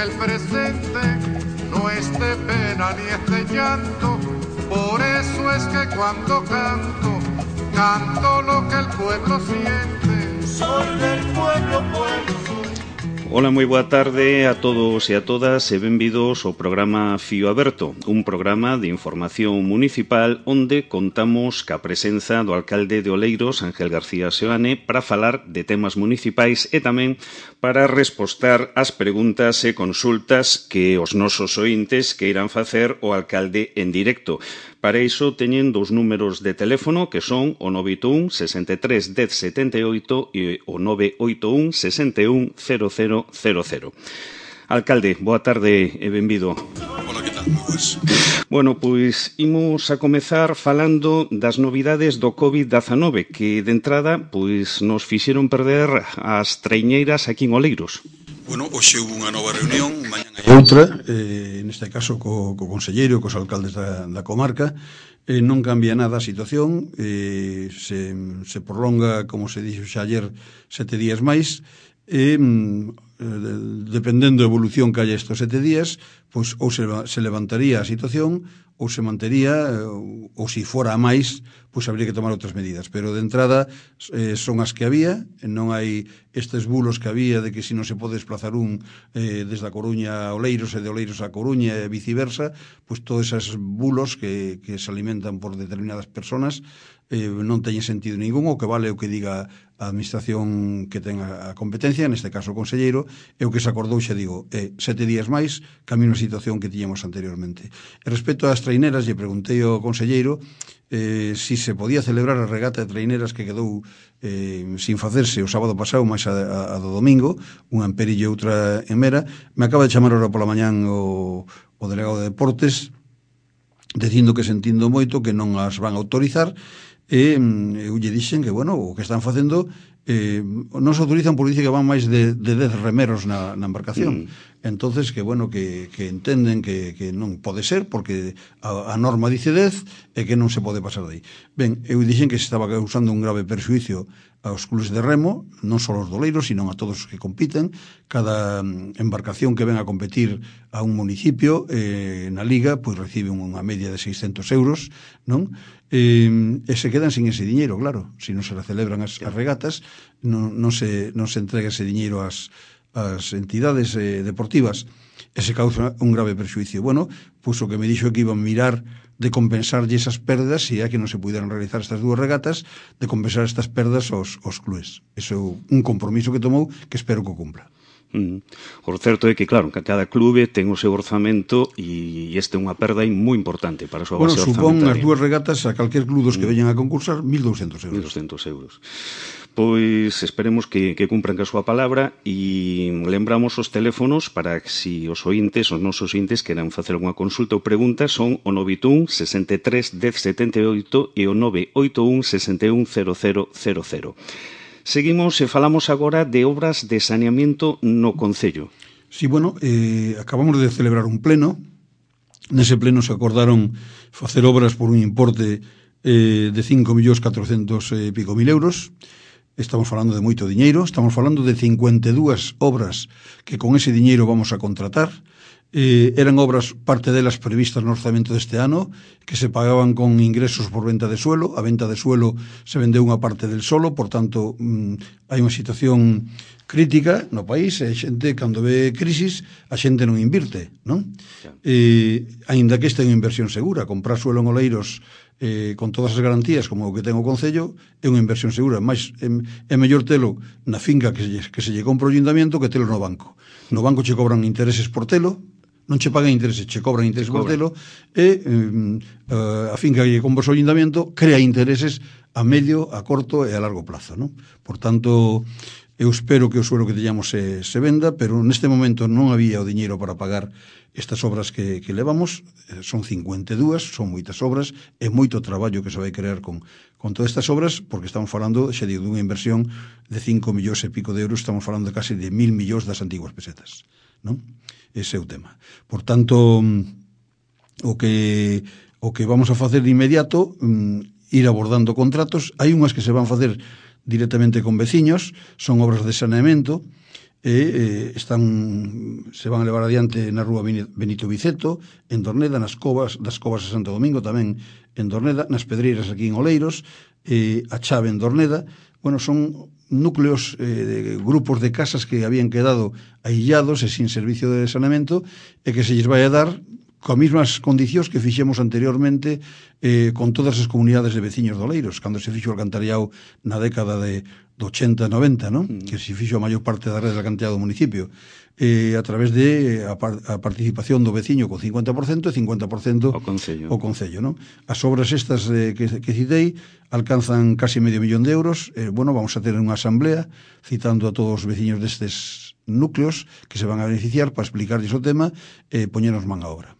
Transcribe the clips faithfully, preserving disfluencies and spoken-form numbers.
el presente no es de pena ni es de llanto. Por eso es que cuando canto, canto lo que el pueblo siente. Soy del pueblo, pueblo soy. Ola, moi boa tarde a todos e a todas e benvidos ao programa Fío Aberto, un programa de información municipal onde contamos ca presenza do alcalde de Oleiros, Ángel García Seoane, para falar de temas municipais e tamén para respostar ás preguntas e consultas que os nosos ointes queiran facer ao alcalde en directo. Para iso teñen dous números de teléfono que son o nove oito un, sesenta e tres, dez, setenta e oito e o nove oito un, sesenta e un, cero cero cero cero. Alcalde, boa tarde e benvido. Hola, que tal? Moi boas. Bueno, pois imos a comezar falando das novidades do covid dezanove que de entrada pois nos fixeron perder as traiñeiras aquí en Oleiros. Bueno, hoxe hubo unha nova reunión, mañan hai outra, eh, neste caso co, co conselleiro, cos alcaldes da, da comarca. Eh, non cambia nada a situación, eh, se, se prolonga, como se dixo xa ayer, sete días máis, e eh, dependendo da evolución que haya estes sete días, pois ou se, se levantaría a situación ou se mantería, ou se fora a máis, pois habría que tomar outras medidas. Pero de entrada eh, son as que había, non hai estes bulos que había de que se non se pode desplazar un eh, desde a Coruña a Oleiros e de Oleiros a Coruña e viceversa, pois todos esos bulos que, que se alimentan por determinadas personas eh, non teñen sentido ningún, o que vale o que diga a administración que ten a competencia, neste caso o conselleiro, e o que se acordou, xa digo, é sete días máis, cambia unha situación que tiñamos anteriormente. E respecto ás traineras, lle preguntei ao conselleiro eh, si se podía celebrar a regata de traineras que quedou eh, sin facerse o sábado pasado, máis a, a, a do domingo, unha en Perillo e outra en Mera. Me acaba de chamar ahora pola mañán o, o delegado de Deportes, dicindo que sentindo moito que non as van a autorizar, e eu lle dixen que, bueno, o que están facendo eh, non se autorizan por dice que van máis de, de dez remeros na, na embarcación. Mm. Entonces, que, bueno, que, que entenden que, que non pode ser, porque a, a norma dice dez e que non se pode pasar de aí. Ben, eu dixen que se estaba causando un grave perxuicio aos clubes de remo, non só aos doleiros, sino a todos os que compiten. Cada embarcación que ven a competir a un municipio eh, na liga, pois recibe unha media de seiscentos euros, non? E, e se quedan sin ese diñeiro, claro. Se non se celebran as, as regatas, non, non, se, non se entrega ese diñeiro ás, ás entidades eh, deportivas, e se causa un grave perxuicio. Bueno, pois o que me dixo é que iban a mirar de compensarlle esas perdas, se é que non se puderan realizar estas dúas regatas, de compensar estas perdas aos, aos clubes. Eso é un compromiso que tomou que espero que o cumpla. Mm. O certo é que, claro, que cada clube ten o seu orzamento e este é unha perda moi importante para a súa bueno, base orzamentaria. Bueno, supón as orzamentaria. dúas regatas a calquer club dos que mm. veñan a concursar mil douscentos euros. mil douscentos euros. Pois esperemos que, que cumpran ca súa palabra e lembramos os teléfonos para que si os ointes, os nosos ointes queran facer unha consulta ou pregunta son o nove oito un, sesenta e tres, dez, setenta e oito e o nove oito un, sesenta e un, cero cero cero cero. Seguimos e falamos agora de obras de saneamiento no concello. Sí, bueno, eh, acabamos de celebrar un pleno. Nese pleno se acordaron facer obras por un importe eh, de cinco millóns catrocentos e pico mil euros. Estamos falando de moito diñeiro, estamos falando de cincuenta e dúas obras que con ese diñeiro vamos a contratar. Eh, eran obras, parte delas previstas no orzamento deste ano, que se pagaban con ingresos por venta de suelo. A venta de suelo se vendeu unha parte del solo, por tanto, mmm, hai unha situación crítica no país, e a xente, cando ve crisis, a xente non invirte, non? Eh, aínda que esta é unha inversión segura, comprar suelo en Oleiros eh, con todas as garantías como o que ten o Concello é unha inversión segura, máis é, é mellor telo na finca que se, que se lle compra o ayuntamiento que telo no banco. No banco che cobran intereses por telo, non che pagan intereses, che cobran intereses por telo, e eh, a finca que compra o ayuntamiento crea intereses a medio, a corto e a largo plazo, non? Por tanto, eu espero que o suelo que teñamos se, se venda, pero neste momento non había o diñeiro para pagar estas obras que, que levamos. Son cincuenta e dúas, son moitas obras, é moito traballo que se vai crear con, con todas estas obras, porque estamos falando, xa digo, dunha inversión de cinco millóns e pico de euros, estamos falando de casi de mil millóns das antiguas pesetas, non? Ese é o tema. Por tanto, o que o que vamos a facer de inmediato, ir abordando contratos. Hai unhas que se van facer directamente con veciños, son obras de saneamento, e eh, están se van a levar adiante na rúa Benito Viceto, en Dorneda, nas covas das Covas de Santo Domingo, tamén en Dorneda, nas Pedreiras aquí en Oleiros, eh, a Chave en Dorneda. Bueno, son núcleos, eh, de grupos de casas que habían quedado aillados e sin servicio de saneamento e que se lles vai a dar coas mesmas condicións que fixemos anteriormente eh, con todas as comunidades de veciños de Oleiros, cando se fixo o alcantarillado na década de, de ochenta noventa, ¿no? Mm. Que se fixo a maior parte da rede de alcantarillado do municipio, eh, a través de a, par, a participación do veciño con cincuenta por cento e cincuenta por cento o Concello. O Concello, ¿no? As obras estas eh, que, que citei alcanzan casi medio millón de euros. Eh, bueno, vamos a ter unha asamblea citando a todos os veciños destes núcleos que se van a beneficiar para explicarles o tema e eh, poñernos man a obra.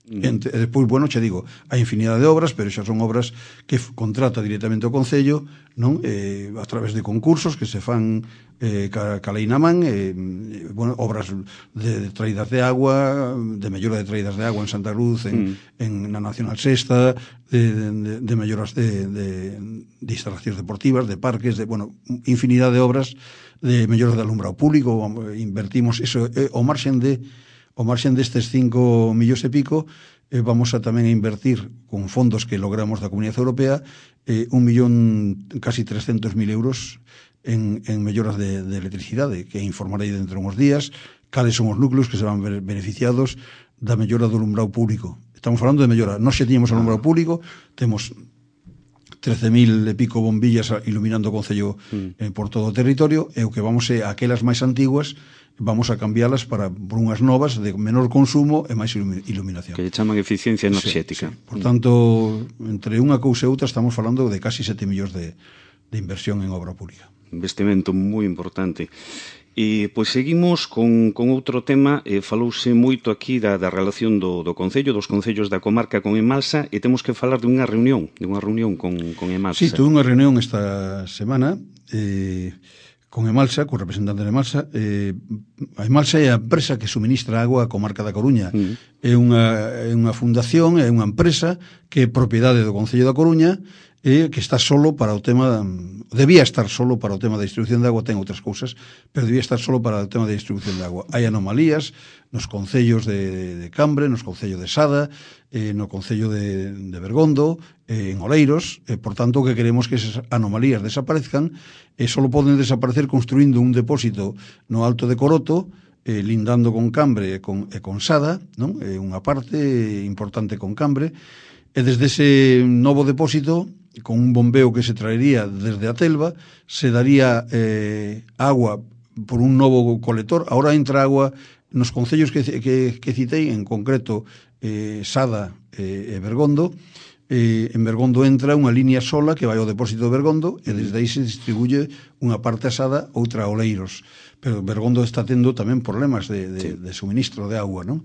Ente, e despois, bueno, che digo, hai infinidade de obras, pero xa son obras que contrata directamente o Concello, non? Eh, a través de concursos que se fan eh, ca, ca lei na man, eh, bueno, obras de, de traídas de agua, de mellora de traídas de agua en Santa Cruz, en, mm. en na Nacional Sexta, de, de, de melloras de, de, de instalacións deportivas, de parques, de, bueno, infinidade de obras de melloras de alumbrado público. Invertimos eso, eh, o marxen de O marxen destes cinco millóns e pico, eh, vamos a tamén a invertir con fondos que logramos da Comunidade Europea eh, un millón, casi trescentos mil euros en, en melloras de, de electricidade, que informarei dentro de uns días cales son os núcleos que se van beneficiados da mellora do alumbrado público. Estamos falando de mellora. Nós xa tiñamos alumbrado público, temos trece mil e pico bombillas iluminando o Concello mm. eh, por todo o territorio, e o que vamos é aquelas máis antiguas vamos a cambiálas para por unhas novas de menor consumo e máis iluminación. Que lle chaman eficiencia enerxética. Sí, sí. Por tanto, entre unha cousa e outra estamos falando de casi sete millóns de, de inversión en obra pública. Investimento moi importante. E, pois, seguimos con, con outro tema. Eh, falouse moito aquí da, da relación do, do Concello, dos Concellos da comarca con Emalsa, e temos que falar de unha reunión, de unha reunión con, con Emalsa. Sí, tuve unha reunión esta semana, eh, con Emalsa, co representante de Emalsa. Eh, a Emalsa é a empresa que suministra agua á comarca da Coruña. Mm. É unha, é unha fundación, é unha empresa que é propiedade do Concello da Coruña e que está solo para o tema, debía estar solo para o tema da distribución de agua, ten outras cousas, pero debía estar solo para o tema da distribución de agua. Hai anomalías nos concellos de, de Cambre, nos concellos de Sada, eh, no concello de, de Bergondo, eh, en Oleiros, e, por tanto, que queremos que esas anomalías desaparezcan, e só poden desaparecer construindo un depósito no Alto de Coroto, eh, lindando con Cambre e con, e con Sada, non? É unha parte importante con Cambre, e desde ese novo depósito, con un bombeo que se traería desde a Telva, se daría eh, agua por un novo colector. Ahora entra agua nos concellos que, que, que citei, en concreto eh, Sada e eh, Bergondo. Eh, en Bergondo entra unha línea sola que vai ao depósito de Bergondo e desde aí se distribuye unha parte a Sada, outra a Oleiros. Pero Bergondo está tendo tamén problemas de, de, sí. de suministro de agua, non?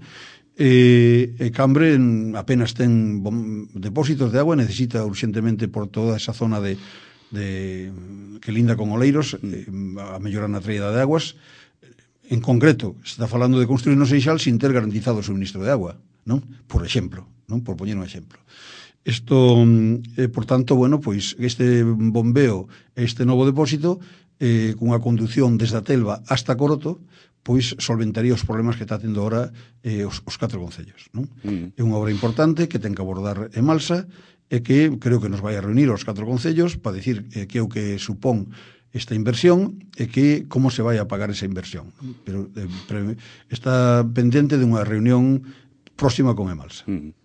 E, e Cambre apenas ten bom, depósitos de agua, necesita urgentemente por toda esa zona de, de que linda con Oleiros eh, a mellorar na traída de aguas. En concreto, se está falando de construir no Seixal sin ter garantizado o suministro de agua, non? Por exemplo, non? Por poñer un exemplo. Isto, eh, por tanto, bueno, pois este bombeo, este novo depósito, eh, cunha conducción desde a Telva hasta Coroto, pois solventaría os problemas que está tendo ahora eh, os, os catro concellos, non? Mm. É unha obra importante que ten que abordar Emalsa e que creo que nos vai a reunir os catro concellos para dicir eh, que é o que supón esta inversión e que como se vai a pagar esa inversión. Pero eh, pre, está pendente de unha reunión próxima con Emalsa. Mm.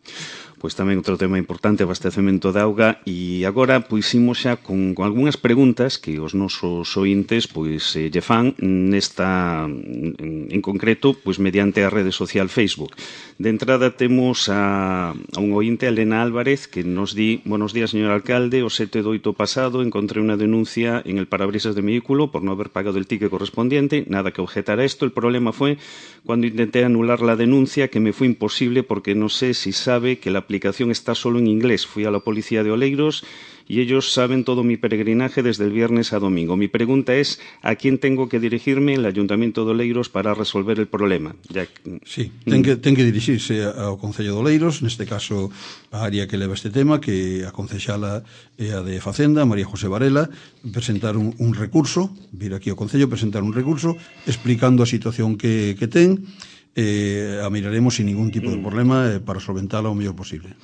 Pois tamén outro tema importante, abastecemento de auga, e agora pois imos xa con, con algunhas preguntas que os nosos ointes pois eh, lle fan nesta en, en concreto pois mediante a rede social Facebook. De entrada temos a, a un ointe, Elena Álvarez, que nos di: buenos días, señor alcalde, o sete do oito pasado encontré unha denuncia en el parabrisas de mi vehículo por no haber pagado el ticket correspondiente, nada que objetar a esto. El problema fue cuando intenté anular la denuncia, que me fue imposible porque no sé si sabe que la aplicación está solo en inglés. Fui a la policía de Oleiros y ellos saben todo mi peregrinaje desde el viernes a domingo. Mi pregunta es, ¿a quién tengo que dirigirme en el Ayuntamiento de Oleiros para resolver el problema? Ya... Sí, ten que, ten que dirixirse ao Concello de Oleiros, neste caso a área que leva este tema, que a concexala é a de Facenda, María José Varela, presentar un, un recurso, vir aquí ao Concello, presentar un recurso explicando a situación que, que ten, eh, a miraremos sin ningún tipo de problema eh, para solventala o mellor posible.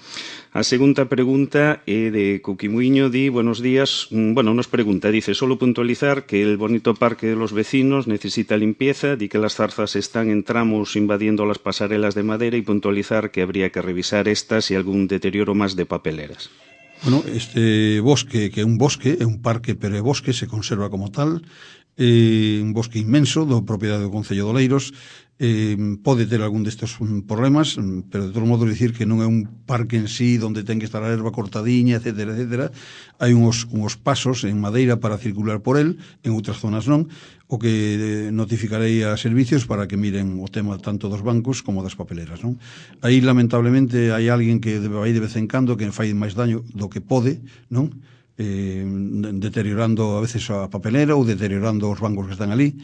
A segunda pregunta é de Cuquimuiño, di, buenos días, bueno, nos pregunta, dice, solo puntualizar que el bonito parque de los vecinos necesita limpieza, di que las zarzas están en tramos invadiendo las pasarelas de madera y puntualizar que habría que revisar estas y algún deterioro más de papeleras. Bueno, este bosque, que é un bosque, é un parque, pero é bosque, se conserva como tal, é un bosque inmenso do propiedade do Concello de Oleiros, eh, pode ter algún destes problemas, pero de todo modo dicir que non é un parque en sí onde ten que estar a erva cortadiña, etcétera, etcétera. Hai uns, uns pasos en madeira para circular por el, en outras zonas non, o que notificarei a servicios para que miren o tema tanto dos bancos como das papeleras, non? Aí, lamentablemente, hai alguén que vai de vez en cando que fai máis daño do que pode, non? Eh, deteriorando a veces a papelera ou deteriorando os bancos que están ali,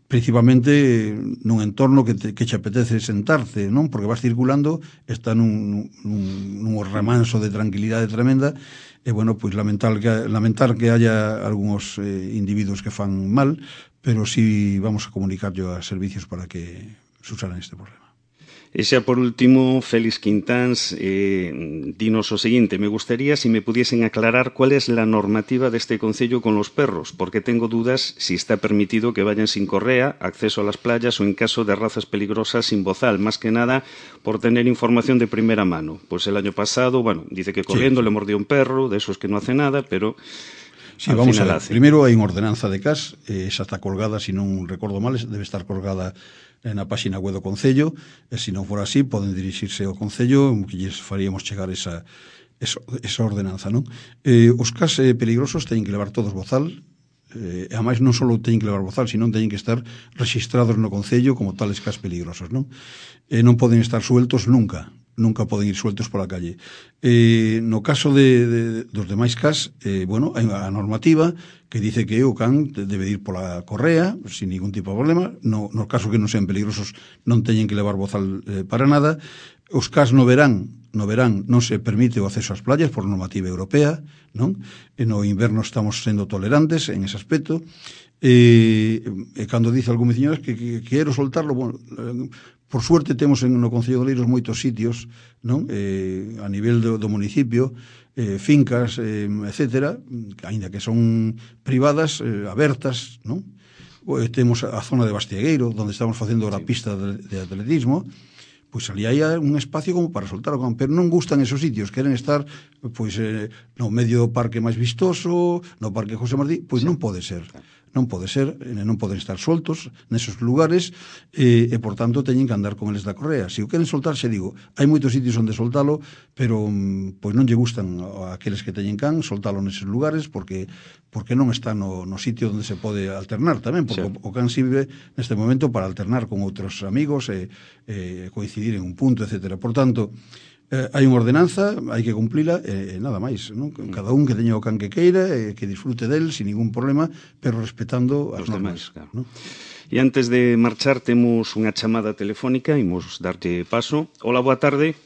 principalmente nun entorno que, te, que che apetece sentarte, non? Porque vas circulando, está nun, nun, nun remanso de tranquilidade tremenda, e, bueno, pois lamentar que, lamentar que haya algúns eh, individuos que fan mal, pero sí vamos a comunicar yo a servicios para que subsanen este problema. E xa por último, Félix Quintáns, eh, dinos o seguinte, me gustaría si me pudiesen aclarar cuál es la normativa de este concello con los perros, porque tengo dudas si está permitido que vayan sin correa, acceso a las playas o en caso de razas peligrosas sin bozal, más que nada por tener información de primera mano. Pues el año pasado, bueno, dice que corriendo sí, sí. le mordió un perro, de esos que no hace nada, pero... Sí, vamos a ver. Hace. Primeiro hai unha ordenanza de C A S, eh, esa está colgada, se non recordo mal, debe estar colgada na páxina web do Concello, e se non for así, poden dirixirse ao Concello, que lles faríamos chegar esa, esa, esa ordenanza, non? Eh, os C A S eh, peligrosos teñen que levar todos bozal, eh, e ademais non só teñen que levar bozal, sino teñen que estar registrados no Concello como tales C A S peligrosos, non? E non poden estar sueltos nunca, nunca poden ir sueltos pola calle. Eh, no caso de, de, dos demais C A S, eh, bueno, hai a normativa que dice que o can debe ir pola correa, sin ningún tipo de problema. No, no caso que non sean peligrosos, non teñen que levar bozal eh, para nada. Os C A S no verán, no verán non se permite o acceso ás playas por normativa europea, non? E no inverno estamos sendo tolerantes en ese aspecto. E, e cando dice algún veciño que, que, que quero soltarlo, bueno, por suerte temos en no Concello de Oleiros moitos sitios, non? Eh, a nivel do, do municipio, eh, fincas, eh, etcétera, aínda que son privadas, eh, abertas, non? Eh, temos a zona de Bastiegueiro, onde estamos facendo a pista de, de atletismo, pois ali hai un espacio como para soltar o can, pero non gustan esos sitios, queren estar pois eh, no medio do parque máis vistoso, no parque José Martí, pois sí. non pode ser. Non pode ser, non poden estar soltos nesos lugares e, e, por tanto, teñen que andar con eles da correa. Se o queren soltar, xe digo, hai moitos sitios onde soltalo, pero pois non lle gustan aqueles que teñen can soltalo neses lugares porque porque non está no, no sitio onde se pode alternar tamén, porque sí. o, o can sirve neste momento para alternar con outros amigos e, e coincidir en un punto, etcétera. Por tanto, Eh, hai unha ordenanza, hai que cumplila e eh, nada máis, non? Cada un que teña o can que queira e eh, que disfrute del sin ningún problema, pero respetando as normas, claro. ¿no? E antes de marchar temos unha chamada telefónica, imos darte paso. Hola, boa tarde.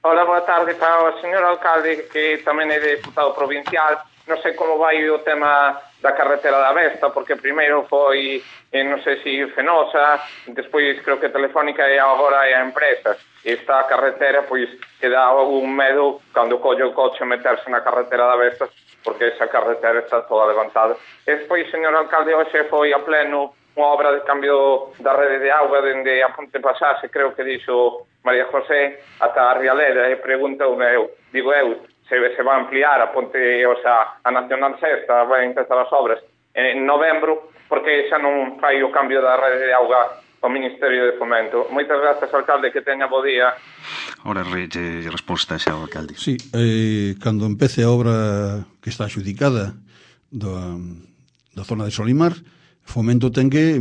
Hola, boa tarde para o señor alcalde, que tamén é deputado provincial. Non sei como vai o tema da carretera da Vesta, porque primeiro foi, eh, non sei se Fenosa, despois creo que Telefónica e agora é a empresa. Esta carretera, pois, que dá un medo cando collo o coche meterse na carretera da Vesta, porque esa carretera está toda levantada. E despois, señor alcalde, hoxe foi a pleno unha obra de cambio da rede de auga dende a Ponte Pasase, creo que dixo María José, ata a Rialeda, e pregunta eu, digo eu, se, se va a ampliar a Ponte, o sea, a Nacional Sexta, vai empezar as obras en novembro, porque xa non fai o cambio da rede de auga o Ministerio de Fomento. Moitas grazas, alcalde, que teña bo día. Ora, rege resposta xa ao alcalde. Sí, eh, cando empece a obra que está axudicada do, da zona de Solimar, Fomento ten que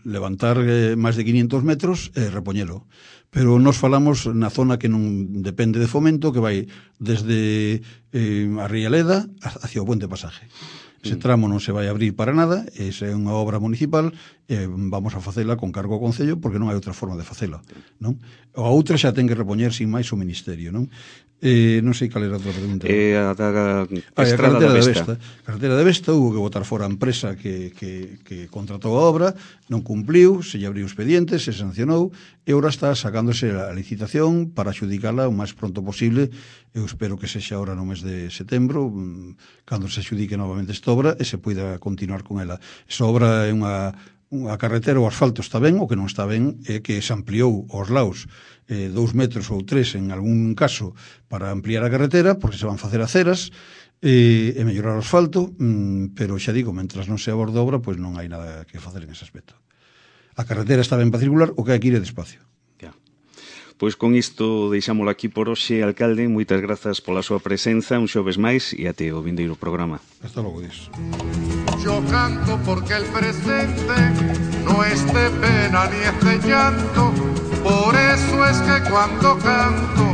levantar eh, máis de quinientos metros e repoñelo. Pero nos falamos na zona que non depende de Fomento, que vai desde eh, a Rialeda hacia o Puente Pasaje. Ese tramo non se vai abrir para nada, esa é unha obra municipal, e vamos a facela con cargo ao Concello porque non hai outra forma de facela, non? A outra xa ten que repoñer sin máis o Ministerio, non? Eh, non sei cal era a outra pregunta. Eh, a da ah, a Estrada da Vesta. A carretera da Vesta hubo que botar fora a empresa que, que, que contratou a obra, non cumpliu, se lle abriu expediente, se sancionou, e agora está sacándose a licitación para adjudicala o máis pronto posible. Eu espero que sexa ahora no mes de setembro, cando se adjudique novamente esta obra e se poida continuar con ela. Esa obra é unha a carretera, o asfalto está ben, o que non está ben é que se ampliou aos laos eh, dous metros ou tres en algún caso para ampliar a carretera, porque se van facer aceras e, e mellorar o asfalto, mm, pero xa digo, mentras non se aborde a obra, pois non hai nada que facer en ese aspecto. A carretera está ben para circular, o que hai que ir é despacio. Ya. Pois con isto deixámolo aquí por hoxe, alcalde. Moitas grazas pola súa presenza un xoves máis e até o vindeiro programa. Hasta logo, Dios. Yo canto porque el presente no es de pena ni es de llanto, por eso es que cuando canto,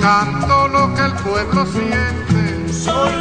canto lo que el pueblo siente. Soy